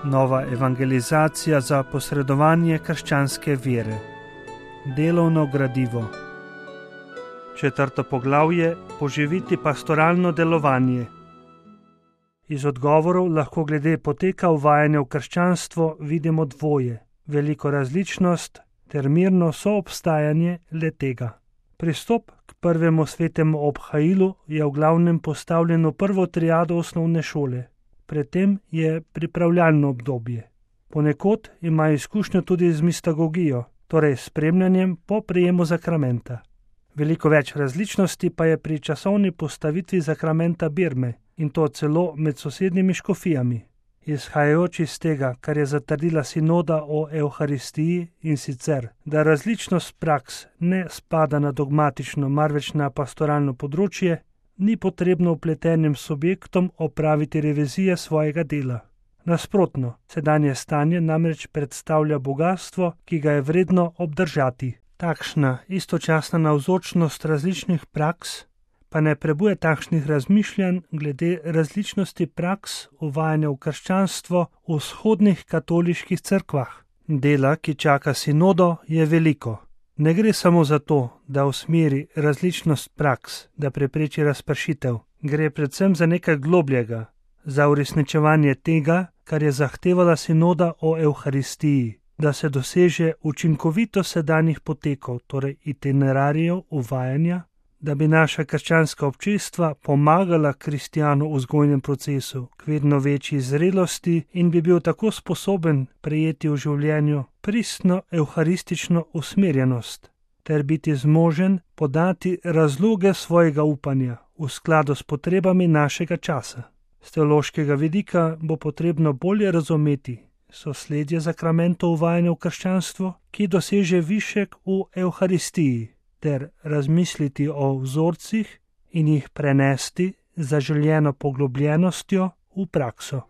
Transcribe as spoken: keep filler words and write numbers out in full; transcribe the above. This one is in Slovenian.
Nova evangelizacija za posredovanje krščanske vere. Delovno gradivo. Četrto poglavje: poživiti pastoralno delovanje. Iz odgovorov lahko glede poteka uvajanja v krščanstvo vidimo dvoje: veliko različnost ter mirno soobstajanje le-tega. Pristop k prvemu svetemu obhajilu je v glavnem postavljen v prvo triado osnovne šole. Predtem je pripravljalno obdobje. Ponekod ima izkušnjo tudi z mistagogijo, torej spremljanjem po prejemu zakramenta. Veliko več različnosti pa je pri časovni postavitvi zakramenta birme, in to celo med sosednjimi škofijami. Izhajajoč iz tega, kar je zatrdila sinoda o evharistiji, in sicer, da različnost praks ne spada na dogmatično, marveč na pastoralno področje, ni potrebno vpletenim subjektom opraviti revizije svojega dela. Nasprotno, sedanje stanje namreč predstavlja bogastvo, ki ga je vredno obdržati. Takšna istočasna navzočnost različnih praks pa ne prebuja takšnih razmišljanj glede različnosti praks uvajanja v krščanstvo v vzhodnih katoliških cerkvah. Dela, ki čaka sinodo, je veliko. Ne gre samo za to, da usmeri različnost praks, da prepreči razpršitev. Gre predvsem za nekaj globljega, za uresničevanje tega, kar je zahtevala sinoda o evharistiji, da se doseže učinkovito sedanjih potekov, torej itinerarijev uvajanja, da bi naša krščanska občestva pomagala kristjanu v vzgojnem procesu k vedno večji zrelosti in bi bil tako sposoben prejeti v življenju pristno evharistično usmerjenost ter biti zmožen podati razloge svojega upanja v skladu s potrebami našega časa. Z teološkega vidika bo potrebno bolje razumeti sosledje zakramentov uvajanja v krščanstvo, ki doseže višek v evharistiji, ter razmisliti o vzorcih in jih prenesti z zaželjeno poglobljenostjo v prakso.